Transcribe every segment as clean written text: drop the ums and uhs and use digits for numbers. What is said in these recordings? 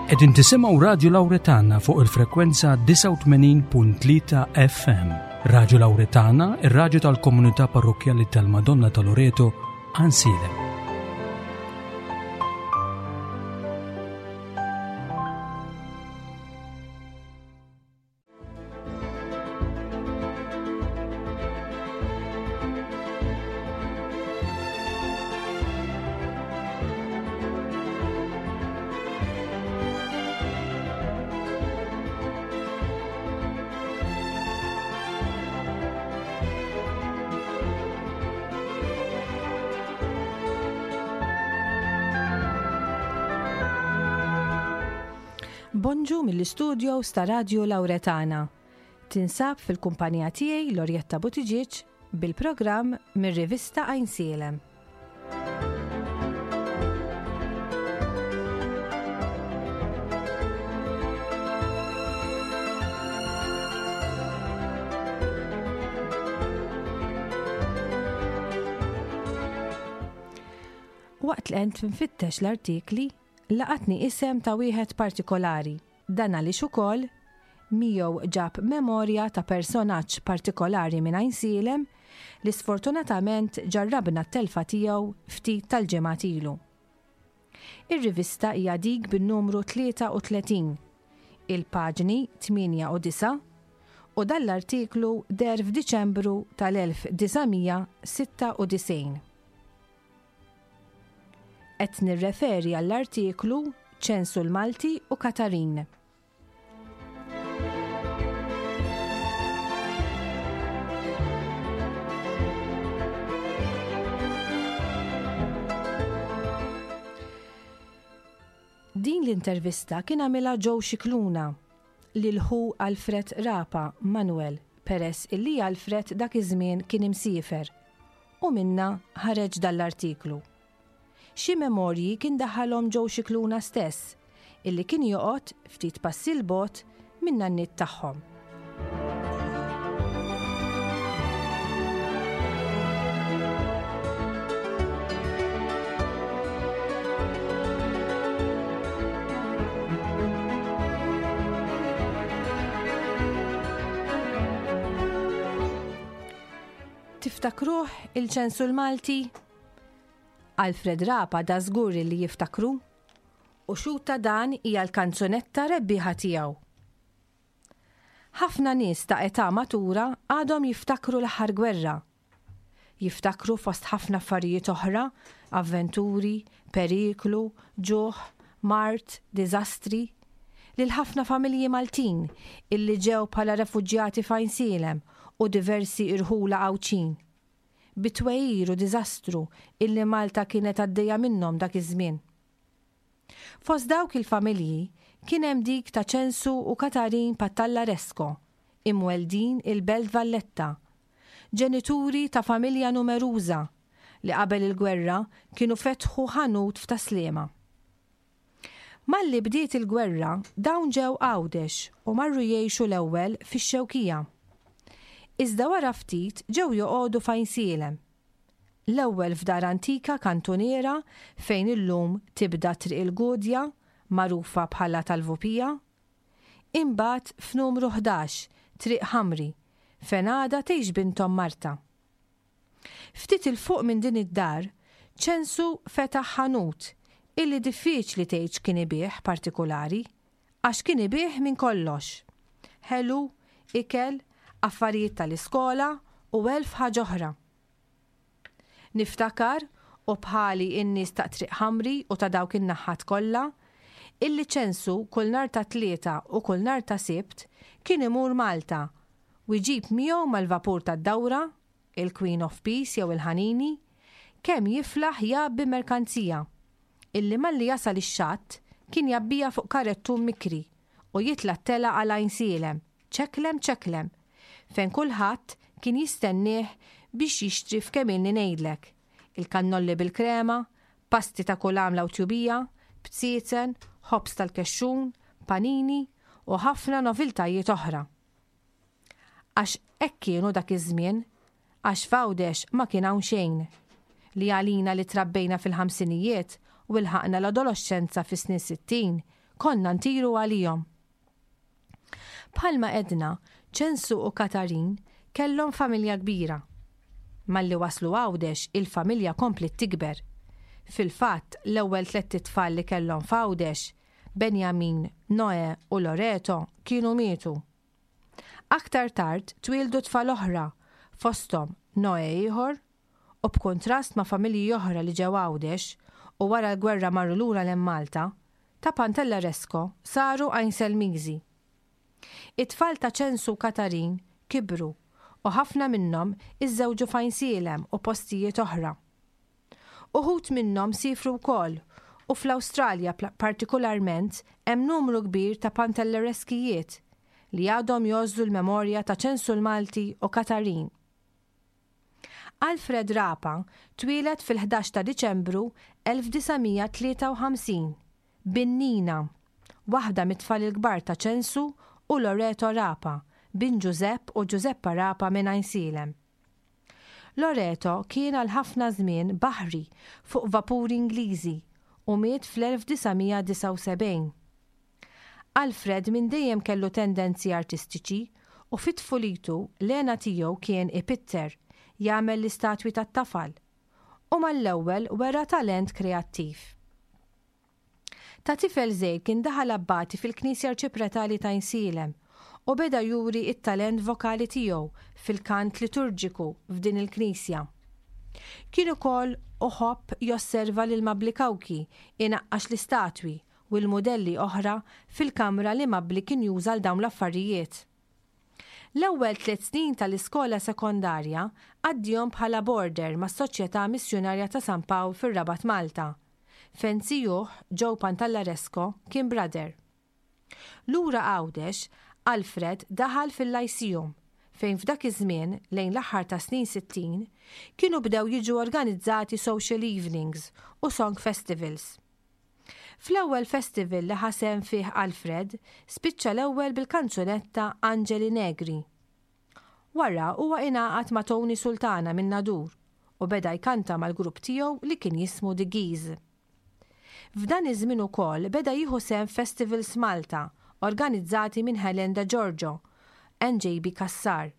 Qegħdin tisimgħu Radju Lawretana fuq il-frekwenza 89.3 FM. Radju Lawretana, ir-radju tal-komunità parrokkjali tal-Madonna ta' Loreto, Għansielem. Bonġu mill-istudios ta' Radju Lauretana. Tinsab fil-kumpanija tiegħi Lorjetta Buttigieg bil-programm mir-rivista Għajnsielem. Waqt li qed nfittex l-artikli, laqatni isem ta' wieħed partikolari. Dan għaliex ukoll miegħu ġab memorja ta' personaġġ partikolari minn Għajnsielem li sfortunatament ġarrabna t-telfa tiegħu ftit tal-ġimgħat ilu. Ir-rivista hija dik bin-numru 33, il-paġni 8 u 9, u dan l-artiklu deher f'Diċembru tal-1996. Qed nirreferi għall-artiklu Ċensu l-Malti u Katarin. Din l-intervista kien għamilha Joe Scicluna lil ħu Alfred Rapa, Manuel, peress illi Alfred dak iż-żmien kien imsiefer. U minnha ħareġ dan l-artiklu. Xi memorji kien daħħalhom Joe Scicluna stess, illi kien joqgħod ftit passi 'l bogħod min-nanniet tagħhom. Tiftakruh il-ċensu l-Malti? Alfred Rapa da żgur li jiftakru. U xhud ta' dan hija l-kanzunetta rebbieħa tiegħu. Ħafna nies ta' età matura għadhom jiftakru l-aħħar gwerra. Jiftakru fost ħafna affarijiet oħra, avventuri, periklu, ġuħ, mard, diżastri, lil ħafna familji Maltin illi ġew bħala refuġjati f'Għajnsielem u diversi irħula Għawdxin. Bi twegħir u diżastru illi Malta kienet għaddejja minnhom dak iż-żmien. Fost dawk il-familji kien hemm dik ta' Ċensu u Katarin Pattallaresco, imweldin il-Belt Valletta, ġenituri ta' familja numeruża li qabel il-gwerra kienu fetħu ħanut f'Tas-Sliema. Malli bdiet il-gwerra dawn ġew Għawdex u marru jgħixu l-ewwel fix-Xewkija. Iżda wara ftit ġew joqogħdu f'Għajnsielem. L-ewwel f'dar antika kantuniera fejn illum tibda Triq il-Gudja, magħrufa bħala tal-Vupija. Imbagħad f'numru 11, Triq Ħamri, fejn għadha tgħix binthom Marta. Ftit 'il fuq minn din id-dar, Ċensu fetaħ ħanut illi diffiċli tgħid x'kien ibigħ partikulari, għax kien ibigħ minn kollox. Ħelu, ikel, affarijiet tal-iskola u elf ħaġa oħra. Niftakar, u bħali n-nies ta' Triq Ħamri u ta' dawk in-naħħat kollha, illi Ċensu kull nhar ta' Tlieta u kull nhar ta' Sibt kien imur Malta u jġib miegħu mal-vapur tad-dawra, il-Queen of Peace jew il-Ħanini, kemm jiflaħ jgħabbi merkanzija, illi malli jasal ix-xatt kien jgħabbiha fuq karettun mikri u jitla' t-telgħa għal Għajnsielem, ċeklem ċeklem, fejn kulħadd kien jistennieh biex jixtri f'kemm ilni ngħidlek, il-kannolli bil-krema, pasti ta' kull għamla u tjubija, bziezen, ħobż tal-kexxun, panini u ħafna noviltajiet oħra. Għax hekk kienu dak iż-żmien, għax f'Għawdex ma kien hawn xejn. Li għalina li trabbejna fil-ħamsinijiet u lħaqna l-adoloxxenza fis-snin 60, Konna ntiru għalihom. Bħalma għedna, Ċensu u Katarin kellhom familja kbira. Malli waslu Għawdex il-familja kompliet tikber. Fil-fatt, l-ewwel tlett itfal li kellhom f'Għawdex, Benjamin, Noè u Loreto kienu mietu. Aktar tard twieldu tfal oħra, fosthom Noè ieħor, u b'kuntrast ma' familji oħra li ġew Għawdex u wara l-gwerra marru lura lejn Malta, ta' Pantelleresco saru Għajnselmiżi. It-tfal ta' Ċensu u Katarin kibru u ħafna minnhom iżżewġu f'Għajnsielem u postijiet oħra. Uħud minnhom siefru wkoll u fl-Awstralja partikularment hemm numru kbir ta' Pantellereskijiet li għadhom jgħożżu l-memorja ta' Ċensu l-Malti u Katarin. Alfred Rapa twieled fil-11 ta' Diċembru 1953, bin Nina, waħda mit-tfal il-kbar ta' Ċensu u Loreto Rapa, bin Ġużepp u Ġużeppa Rapa minn Għajnsielem. Loreto kien għal ħafna żmien baħri fuq vapuri Ingliżi u miet fl-1979. Alfred minn dejjem kellu tendenzi artistiċi u fi tfulitu l-hena tiegħu kien ipitter, jagħmel l-istatwi tat-tafal, u mal-ewwel wera talent kreattiv. Ta' tifel żgħir kien daħal abbati fil-Knisja Arċipretali t'Għajnsielem u beda juri t-talent vokali tiegħu fil-kant liturġiku f'din il-knisja. Kien ukoll uħobb josserva lil Mabli Cauchi inaqqax l-istatwi u l-mudelli oħra fil-kamra li Mabli kien juża għal dawn l-affarijiet. L-ewwel tliet snin tal-iskola sekondarja għaddihom bħala boarder mas-Soċjetà Missjunarja ta' San Pawl fir-Rabat Malta, fejn zijuh Joe Pantallaresco kien brother. Lura Għawdex, Alfred daħal fil-Lyceum fejn f'dak iż-żmien, lejn l-aħħar tas-snin 60, kienu bdew jiġu organizzati social evenings u song festivals. Fl-ewwel festival li ħa sehem fih Alfred, spiċċa l-ewwel bil-kanzunetta Angeli Negri. Wara huwa ingħaqad ma' Tony Sultana minn Nadur u beda jkanta mal-grupp tiegħu li kien jismu The Geese. F'dan iż-żmien ukoll beda jieħu sehem f'festivals Malta organizzati minn Helen De Giorgio and JB Cassar.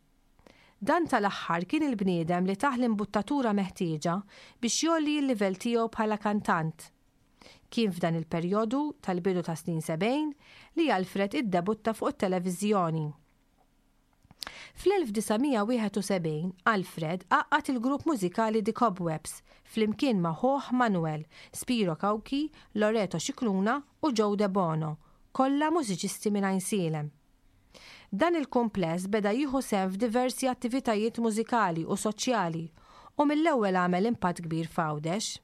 Dan tal-aħħar kien il-bniedem li tah l-imbuttatura meħtieġa biex jgħolli l-livell tiegħu bħala kantant. Kien f'dan il-perjodu tal-bidu tas-snin 70 li Alfred iddebutta fuq it-televiżjoni. Fl-1971 Alfred għaqqad il-grupp mużikali The Cobwebs flimkien ma' ħuh Manuel, Spiro Cauchi, Loreto Scicluna u Joe Debono, kollha mużiċisti minn Għajnsielem. Dan il-kumpless beda jieħu sehem f'diversi attivitajiet mużikali u soċjali u mill-ewwel għamel impatt kbir f'Għawdex.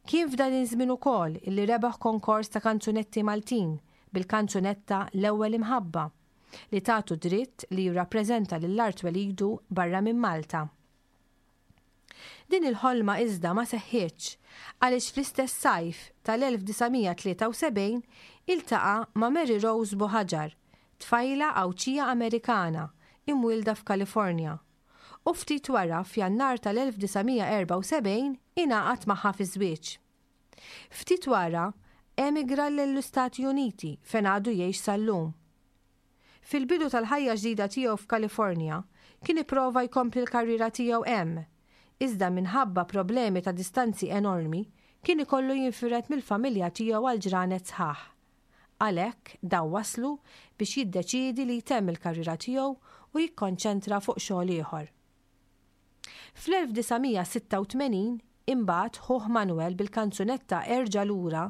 Kien f'dan iż-żmien ukoll illi rebaħ konkors ta' kanzunetti Maltin bil-kanzunetta L-Ewwel Imħabba li tatu dritt li jirrappreżenta lil art twelidu barra minn Malta. Din il-ħolma iżda ma seħħitx għaliex fl-istess sajf tal-1973 iltaqa' ma' Mary Rose Buhagiar, tfajla Għawdxija Amerikana imwielda f'Kalifornja, u ftit wara f'Jannar tal-1974 ingħaqad magħha fiż-żwieġ. Ftit wara emigra lill-Istati Uniti fejn għadu jgħix sal-lum. Fil-bidu tal-ħajja ġdida tiegħu f'Kalifornja, kien ipprova jkompli l-karriera tiegħu hemm, iżda minħabba problemi ta' distanzi enormi, kien ikollu jinfired mill-familja tiegħu għal ġranet sħaħ. Għalhekk, dan wasslu biex jiddeċiedi li jtemm il-karriera tiegħu u jikkonċentra fuq xogħol ieħor. Fl-1986, imbagħad, ħuh Manuel bil-kanzunetta Erġa' Lura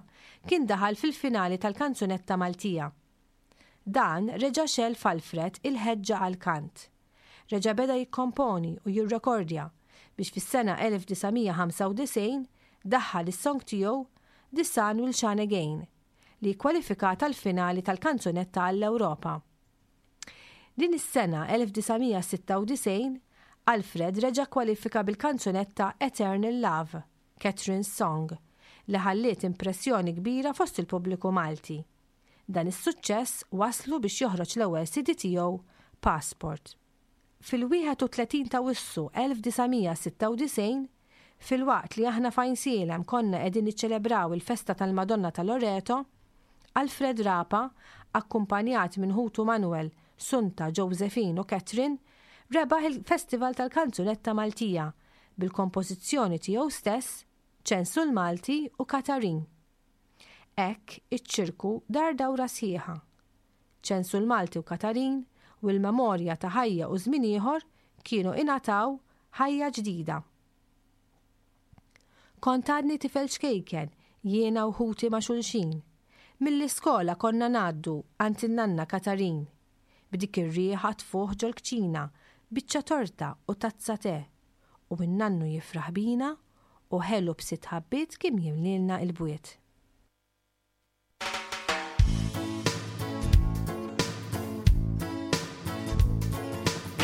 kien daħal fil-finali tal-kanzunetta Maltija. Dan reġa' xegħel f'Alfred il-ħeġġa għall-kant. Reġa' beda jikkomponi u jirrekordja biex fis-sena 1995 daħħal is-song tiegħu The Sun Will Shine Again li kkwalifikat għall-finali tal-kanzunetta għall-Ewropa. Din is-sena 1996 Alfred reġa' kkwalifika bil-kanzunetta Eternal Love, Catherine's Song, li ħalliet impressjoni kbira fost il-pubbliku Malti. Dan is-suċċess wasslu biex joħroġ l-ewwel CD tiegħu, Passport. Fil-31 t'Awwissu 1996, filwaqt li aħna f'Għajnsielem konna qegħdin niċċelebraw il-festa tal-Madonna ta' Loreto, Alfred Rapa, akkumpanjat minn ħutu Manuel, Sunta, Josephine u Catherine, rebaħ il-Festival tal-Kanzunetta Maltija bil-kompożizzjoni tiegħu stess Ċensu l-Malti u Katarin. Hekk iċ-ċirku dar dawra sħiħa. Ċensu l-Malti u Katarin u l-memorja ta' ħajja u żmien ieħor kienu ingħataw ħajja ġdida. Kont għadni tifel ċkejken, jiena u ħuti ma' xulxin. Mill-iskola konna ngħaddu għand in-nanna Katarin. B'dik ir-riħa tfuħ ġol-kċina, biċċa torta u tazza te. U n-nannu jifraħ bina u ħelu b'sitt ħabbiet kien jimlielna il-bwiet.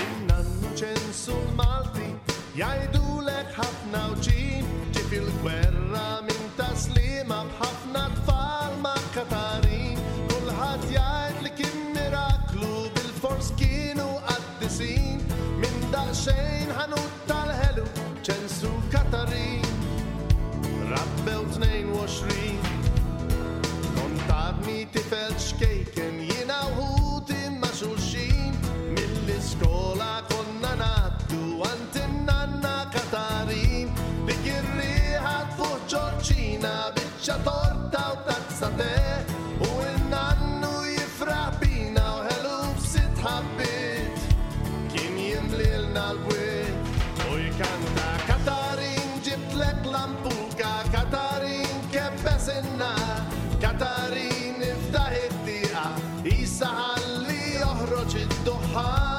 In-nannu ċensu l-Malti jgħidulek ħafna wġin ġie fil-gwerra minn taslima b'ħafna tfal ma' Katarin. Kulħadd jgħid li kien miraklu bilfors kienu qaddisin minn daqsxejn ħanut tal-ħelu ċensu Katarin. Rabbew 22. Kont għadni tifel ċkejken jiena u ħuti ma' xulxin. Mill-iskola konna ngħaddu għand in-nanna Katarin. Dik ir-riħa tfuħ ġorġina, biċċa torta u tazza te. U n-nannu jifraħ bina u ħelu b'sitt ħabbiet. Kien jimlilna l-bwiet u jkanta Katarin ġibtlek lampuka, Katarin kebbes in-nar, Katarin iftaħ it-tieqa, isa ħalli joħroġ id-duħħan.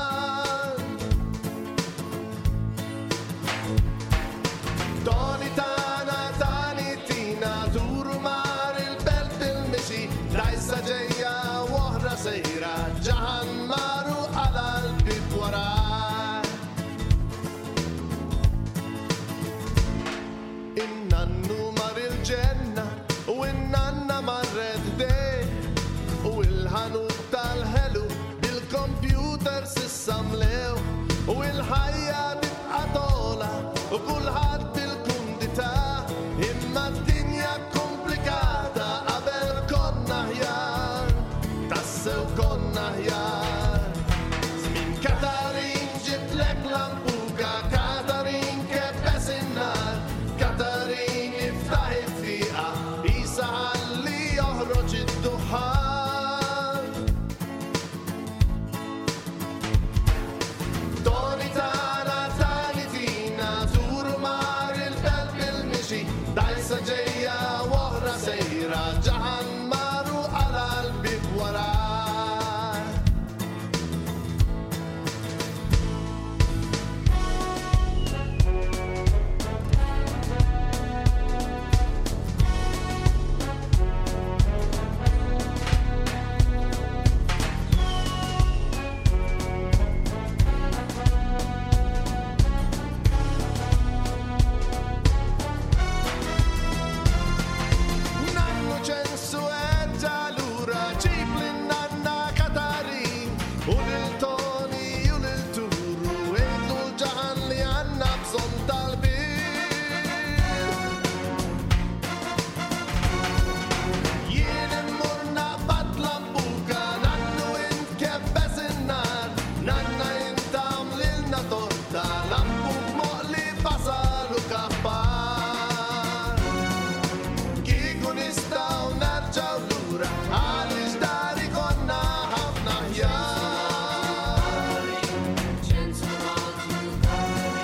Toni tana, tani tina, turu mar il-belt bil-mixi, dajsa ġejja u oħra sejra, ġaħan maru għala l-bib wara. In-nannu mar il-ġenna u in-nanna marret dej, u il-ħanut tal-ħelu bil-kompjuter sissa mlew, u il-ħajja tibqa' tola u kulħadd bil-kumdità, imma d-dinja komplikata qabel konna ħjar, tassew konna ħjar. Żmien Katarin ġiblek lampuka, Katarin kebbes in-nar, Katarin iftaħ it-tieqa, isa ħalli joħroġ id-duħħan. Toni tana, tani tina, turu mar il-belt bil-mixi, dajsa ġejja u oħra sejra, ġaħan maru għala l-bib wara. Nannu ċensu erġa' lura, ġib lin-nanna Katarin, u lil Toni u lil Turu, għidlu l-ġaħan li għandna bżonn tal-bir. Jien immur naqbad lampuka, nannu int kebbes in-nar, nanna int għamlilna torta, lampuk moqli basal u kappar. Kieku nistgħu nerġgħu lura, għaliex dari konna ħafna ħjar.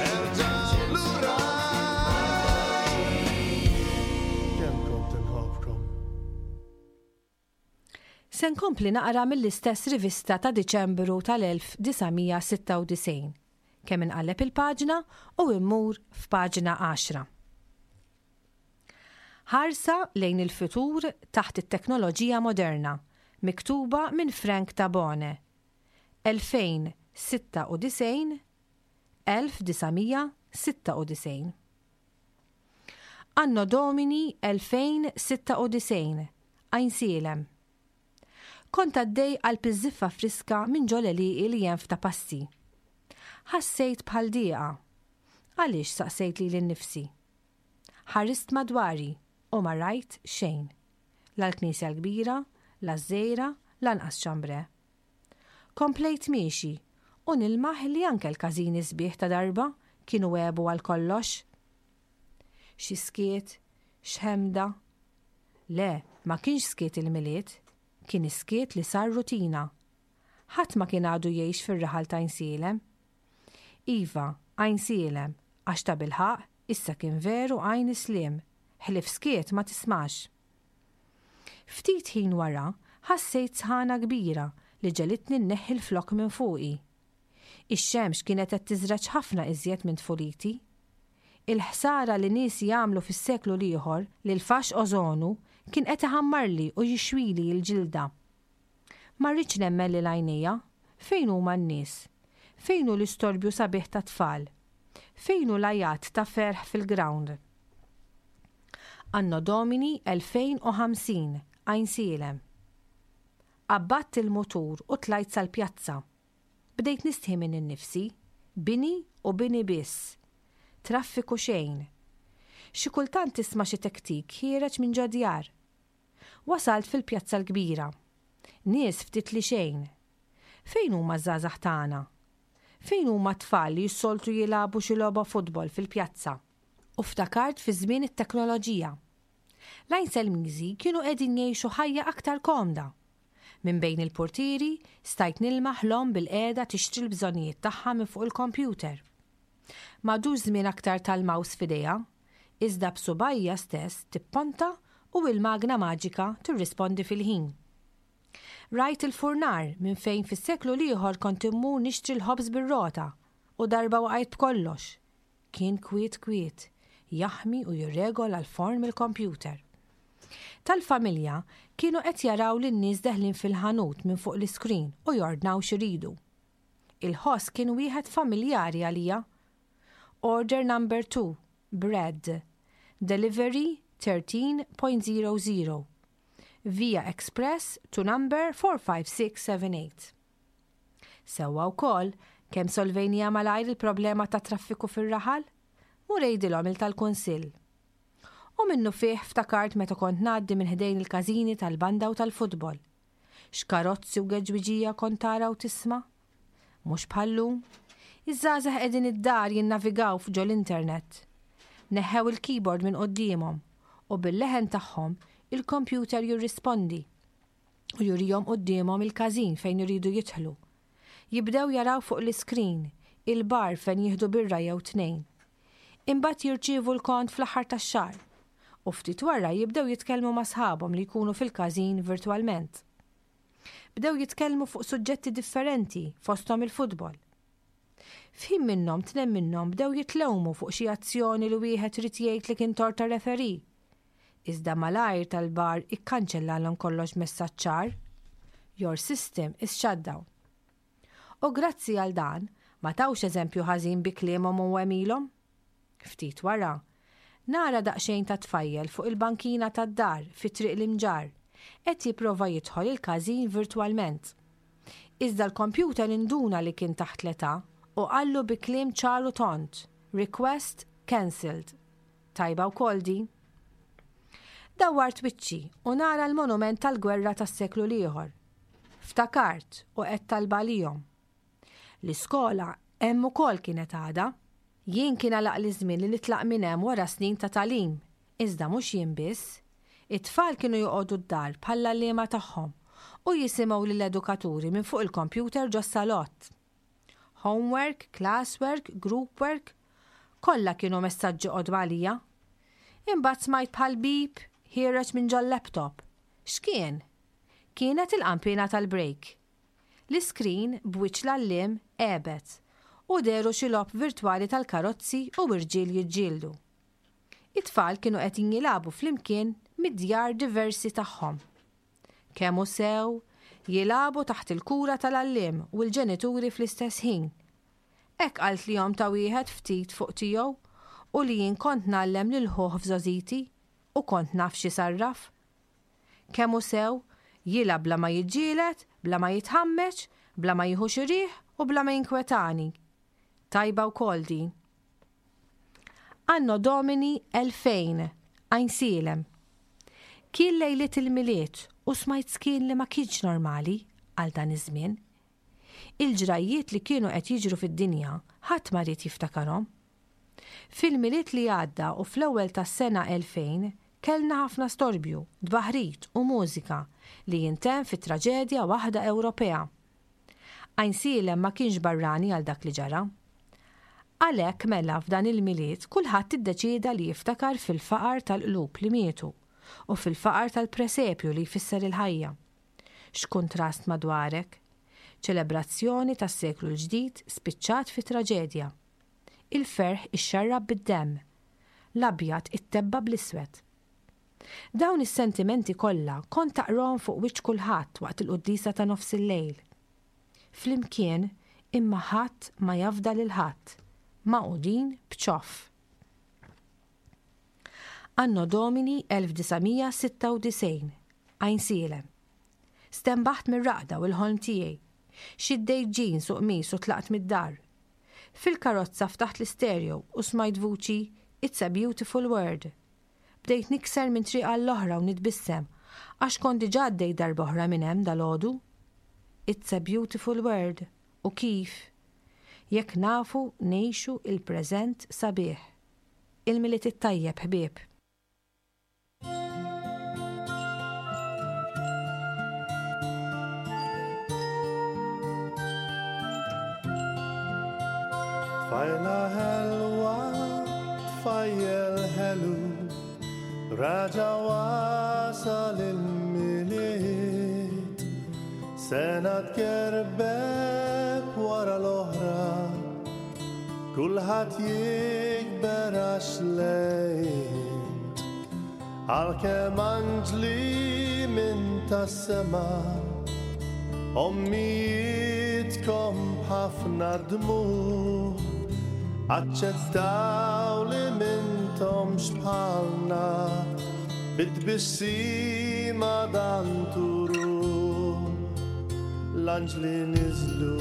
Erġgħu lura. Kemm kont inħobbkom. Se nkompli naqra mill-istess rivista ta' Diċembru tal-1996. Kemm inqalleb il-paġna u immur f'paġna 10. Ħarsa lejn il-futur taħt it-teknoloġija moderna, miktuba minn Frank Tabone. 2096 1996. Anno Domini 2096, Għajnsielem. Kont għaddej qalb iż-żiffa friska minn ġo l-għelieqi li hemm f'ta' passi. Ħassejt bħal dieqa. Għaliex saqsejt lili nnifsi. Ħarist madwari u ma rajt xejn. La l-knisja l-kbira, La ż-Żgħira, lanqas Ċambrè. Komplejt miexi u nilmaħ li anke l-każini sbieħ ta' darba kienu għebu għal kollox. Xi skiet, x'ħemda. Le, ma kienx skiet il-Milied, kien is-skiet li sar rutina. Ħadd ma kien għadu jgħix fir-raħal t'Għajnsielem. Iva, Għajnsielem, għax tabilħaqq issa kien veru Għajn is-Sliem, ħlief skiet ma tismax. Ftit ħin wara, ħassejt sħana kbira li ġegħlitni nneħħi l-flokk minn fuqi. Ix-xemx kienet qed tiżreġ ħafna iżjed minn tfuliti. Il-ħsara li niesi għamlu fis-seklu l-ieħor lil faxx ożonu kien qed iħammarli u jixwili l-ġilda. Ma rridx nemmen lil għajnejja. Fejn huma n-nies? Fejn hu l-istorbju sabiħ tat-tfal? Fejn hu l-għajat ta' ferħ fil-grawnd? Anno Domini 2050, Għajnsielem. Qabbadt il-mutur u tlajt sal-pjazza. Bdejt nistħi minni nnifsi. Bini u bini biss. Traffiku xejn. Xi kultant tisma' xi tektik ħiereġ minn ġo djar. Wasalt fil-Pjazza l-Kbira. Nies ftit li xejn. Fejn huma ż-żgħażagħ tagħna? Fejn huma t-tfal li s-soltu jilagħbu xi logħba futbol fil-pjazza? U ftakart fi żmien it-teknoloġija. L-Għajnselmiżi kienu qegħdin jgħixu ħajja aktar komda. Minn bejn il-purtieri stajt nilmaħ l-omm bilqiegħda tixtri l-bżonnijiet tagħha minn fuq il-kompjuter. M'għadux żmien aktar tal-mouse f'idejha, iżda b'subgħajha stess tipponta u il-magna maġika tirrispondi fil-ħin. Rajt il-furnar minn fejn fis-seklu l-ieħor kont immur nixtri l-ħobż bir-rota u darba waqajt b'kollox. Kien kwiet kwiet, jaħmi u jirregola l-forn mill-kompjuter. Tal-familja kienu qed jaraw lin-nies deħlin fil-ħanut minn fuq l-iskrin u jordnaw x'iridu. Il-ħoss kien wieħed familjari għalija. Order number 2, bread. Delivery 13.00. Via Express to number 45678. Sewwa wkoll, kemm solvejniha malajr il-problema tat-traffiku fir-raħal? Mur għidilhom il tal-Kunsill. U minnufih ftakart meta kont ngħaddi minn ħdejn il-każini tal-banda u tal-futbol. X'karozzi u geġwiġija kont tara u tisma'? Mhux bħal-lum. Iż-żgħażagħ qegħdin id-dar jinnavigaw f'ġol-internet. Neħħew il-keyboard minn quddiemhom u bil-leħen tagħhom il-kompjuter jirrispondi u jurihom quddiemhom il-każin fejn iridu jidħlu. Jibdew jaraw fuq l-iskrin il-bar fejn jieħdu birra jew tnejn. Imbagħad jirċievu l-kont fl-aħħar tax-xahar u ftit wara jibdew jitkellmu ma' sħabhom li jkunu fil-każin virtwalment. Bdew jitkellmu fuq suġġetti differenti fosthom il-futbol. F'ħin minnhom tnejn minnhom bdew jitlewmu fuq xi azzjoni li wieħed ried jgħid li kien tort tar-referee. Iżda malajr tal-bar ikkanċellalhom kollox b'messaġġ ċar, Your system is shut down. U grazzi għal dan, ma tawx eżempju ħażin bi kliemhom u għemilhom. Ftit wara, nara daqsxejn ta' tfajjel fuq il-bankina tad-dar fi Triq l-Imġarr, qed jipprova jidħol il-każin virtwalment. Iżda l-kompjuter induna li kien taħt l-età u qallu bi kliem ċar u tond, Request cancelled. Tajba wkoll din. Dawwart wiċċi u nara l-monument tal-gwerra tas-seklu l-ieħor. Ftakart u għedt talba għalihom. L-iskola hemm ukoll kienet għadha. Jien kien għalaqli ż-żmien li nitlaq minn hemm wara snin ta' tagħlim, iżda mhux jien biss. It-tfal kienu joqogħdu d-dar bħall-għalliema tagħhom u jisimgħu lill-edukaturi minn fuq il-kompjuter ġos-salott. Homework, classwork, group work, kollha kienu messaġġi qodma għalija. Imbagħad smajt bħal beep ħiereġ minn ġol-laptop. X'kien? Kienet il-qanpiena tal-break. L-iskrin b'wiċċ l-għalliem għebet u dehru xi logħob virtwali tal-karozzi u irġiel jiġġieldu. It-tfal kienu qegħdin jilagħbu flimkien mid-djar diversi tagħhom. Kemm hu sew, jilagħbu taħt il-kura tal-għalliem u l-ġenituri fl-istess ħin. Hekk qaltli omm ta' wieħed ftit fuq tiegħu u li jien kont ngħallem lil ħuh f'żgħożiti u kont naf x'isarraf. Kemm hu sew, jilgħab bla ma jiġġieled, bla ma jitħammeġ, bla ma jieħu xi riħ u bla ma jinkwetani. Tajba wkoll din. Anno Domini 2000, Għajnsielem. Kien lejliet il-Milied u smajt skin li ma kienx normali għal dan iż-żmien. Il-ġrajjiet li kienu qed jiġru fid-dinja ħadd ma ried jiftakarhom. Fil-Milied li għadda u fl-ewwel tas-sena 2000 kellna ħafna storbju, tbaħrid u mużika li jintemm fi traġedja waħda Ewropea. Għajnsielem ma kienx barrani għal dak li ġara. Għalhekk mela f'dan il-Milied kulħadd iddeċieda li jiftakar fil-faqar tal-qlub li mietu u fil-faqar tal-presepju li jfisser il-ħajja. X'kuntrast madwarek! Ċelebrazzjoni tas-seklu l-ġdid spiċċat fi traġedja. Il-ferħ ixxarrab bid-demm. L-abjad ittebba' bl-iswed. Dawn is-sentimenti kollha kont taqrahom fuq wiċċ kulħadd waqt il-quddiesa ta' nofsillejl. Flimkien imma ħadd ma jafda lil ħadd, magħqudin b'ċoff. Anno Domini 1996, Għajnsielem. Stenbaħt mir-raqda u l-ħolm tiegħi. Xiddejt jeans u qmis u tlaqt mid-dar. Fil-karozza ftaħt l-istereo u smajt vuċi It's a beautiful world. Bdejt nikser minn triq għall-oħra u nitbissem għax kont diġà għaddejt darba oħra minn hemm dalgħodu. It's a beautiful world u kif? Jekk nafu ngħixu il-preżent sabiħ. Il-Milied it-tajjeb ħbieb. Tfajla ħelwa, tfajjel ħelu, raġa wasal il-milied. Sena tkerbeb wara l-oħra, kulħadd jikber għax lejn. Għalkemm anġli minn tas-sema, ommijietkom b'ħafna dmugħ, aċċettaw li m'intomx bħalna, bit-tbissima dan turuh. L-anġli niżlu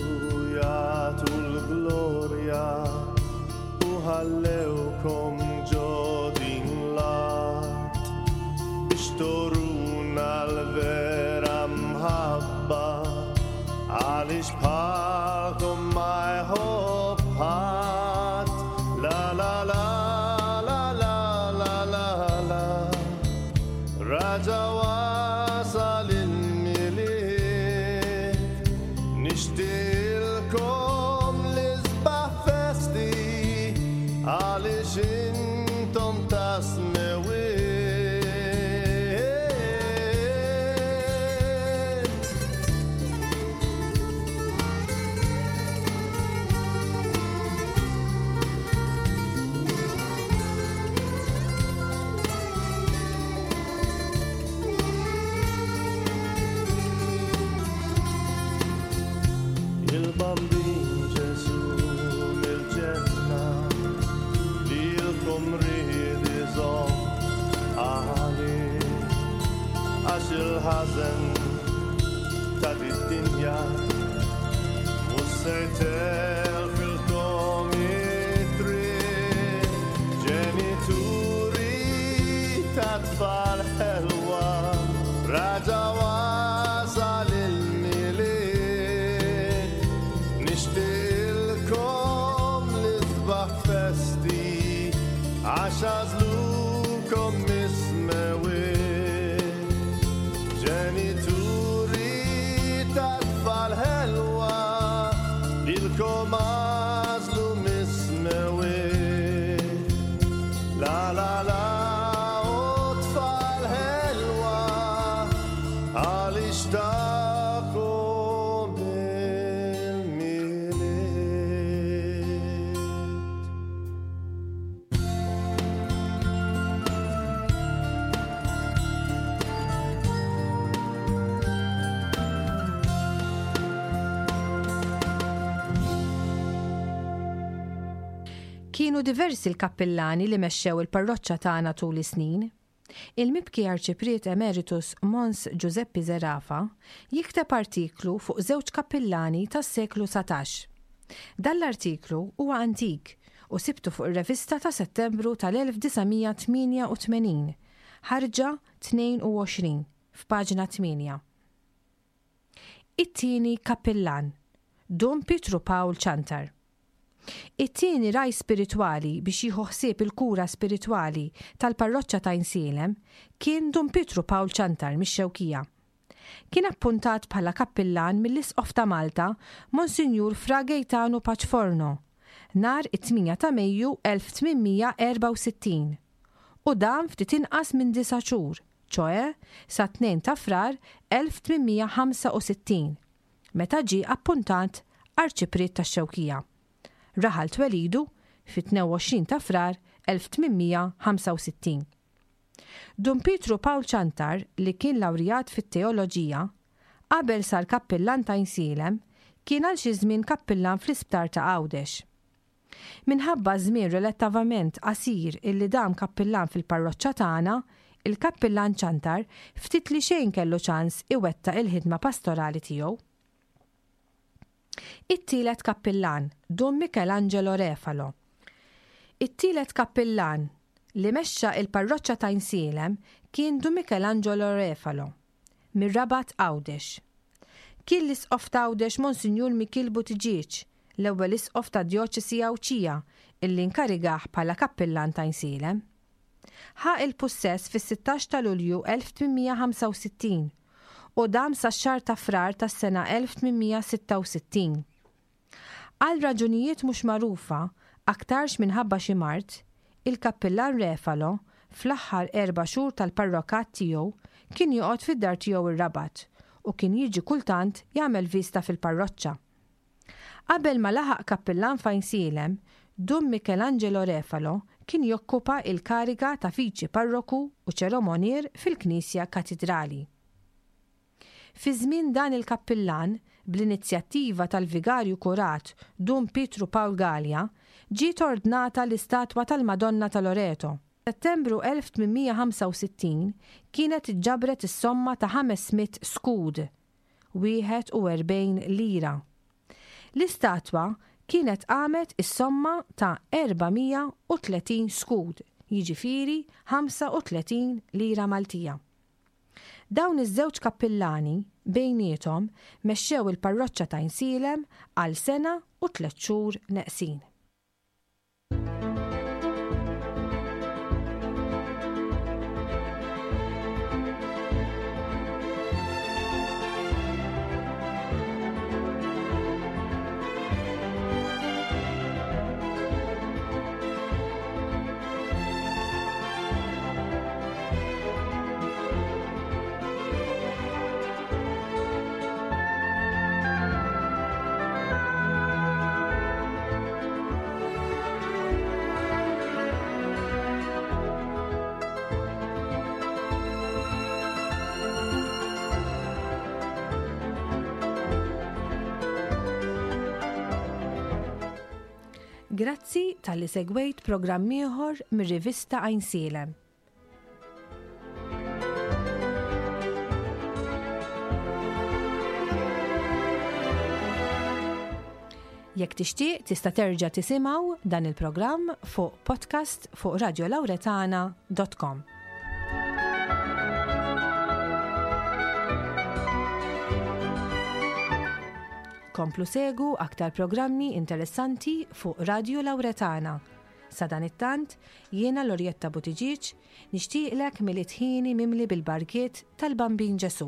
jagħtu l-glorja u ħallewkom ġo din l-art biex toruna l-vera mħabba għaliex bħalkom ma jħobb ħadd. La la la la la la la la Raġa wasal il-Milied Nixtieqilkom l-isbaħ festi għaliex intom ta' smewiet. Il-Bambin Ġesù mill-ġenna lilkom ried iżomm għalih għax il-ħażen ta' did-dinja mhux se jtelfilkom it-triq. Ġenituri ta' tfal ħelwa raġa' wasal il-Milied. Nixtieqilkom l-isbaħ festi għax għażlukom mis-smewwiet. Ġenituri ta' tfal ħelwa lilkom għażlu mis-smewwiet. La la la o tfal ħelwa għaliex tagħkom il-Milied. Kienu diversi l-kappillani li mexxew il-parroċċa tagħna tul is-snin. Il-mibki Arċipriet Emeritus Mons Ġużeppi Zerafa jikteb artiklu fuq żewġ kappillani tas-seklu 19. Dan l-artiklu huwa antik u sibtu fuq ir-revista ta' Settembru tal-1988. Ħarġa 22, f'paġna 8. It-tieni kappillan, Dun Pietru Pawl Ciantar. It-tieni ragħaj spiritwali biex jieħu ħsieb il-kura spiritwali tal-parroċċa t'Għajnsielem kien Dun Pietru Pawl Ciantar mix-Xewkija. Kien appuntat bħala kappillan mill-Isqof ta' Malta, Monsinjur Fra Gejtanu Paċforno, nhar it-8 ta' Mejju 1864 u dam ftit inqas minn disa' xhur, ċoe sat-2 ta' Frar 1865, meta ġie appuntat Arċipriet tax-Xewkija, raħal twelidu fit-22 ta' Frar 1865. Dun Pietru Pawl Ciantar, li kien lawrjat fit-teoloġija, qabel sar kappillan t'Għajnsielem, kien għal xi żmien kappillan fl-isptar ta' Għawdex. Minħabba ż-żmien relattivament qasir illi dam kappillan fil-parroċċa tagħna, il-Kappillan Ciantar ftit li xejn kellu ċans iwettaq il-ħidma pastorali tiegħu. It-tielet kappillan, Dun Michelangelo Refalo. It-tielet kappillan li mexxa il-parroċċa t'Għajnsielem kien Dun Michelangelo Refalo, mir-Rabat Għawdex. Kien l-Isqof t'Għawdex Monsinjur Mikiel Buttigieg, l-ewwel Isqof tad-Djoċesi Għawdxija illi nkarigah bħala kappillan t'Għajnsielem. Ħa il-pussess fis-16 ta' Lulju 1865 u dam sax-xahar ta' Frar tas-sena 1866. Għal raġunijiet mhux magħrufa, aktarx minħabba xi mard, il-Kappillan Refalo, fl-aħħar erba' xhur tal-parrokat tiegħu, kien joqgħod fid-dar tiegħu r-Rabat u kien jiġi kultant jagħmel viżta fil-parroċċa. Qabel ma laħaq kappillan f'Għajnsielem, Dun Michelangelo Refalo kien jokkupa il-kariga ta' viċi parroku u ċeromonier fil-Knisja Katidrali. Fi żmien dan il-kappillan, bl-inizjattiva tal-Vigarju Kurat Dun Pietru Pawl Galea, ġiet ordnata l-istatwa tal-Madonna ta' Loreto. F'Settembru 1865 kienet iġġabret is-somma ta' 500 skud, 41 lira. L-istatwa kienet qamet is-somma ta' 430 skud, jiġifieri 35 lira Maltija. Dawn iż-żewġ kappillani, bejniethom, mexxew il-parroċċa t'Għajnsielem għal sena u tlett xhur neqsin. Grazzi talli segwejt programm ieħor mir-rivista Għajnsielem. Jekk tixtieq tista' terġa' tisimgħu dan il-programm fuq podcast fuq radiolauretana.com. Komplu segu aktar programmi interessanti fuq Radio Lauretana. Sadanittant, jiena Lorjetta Buttigieg nixtieqlek Milied ħieni mimli bil-barkiet tal-Bambin Ġesù.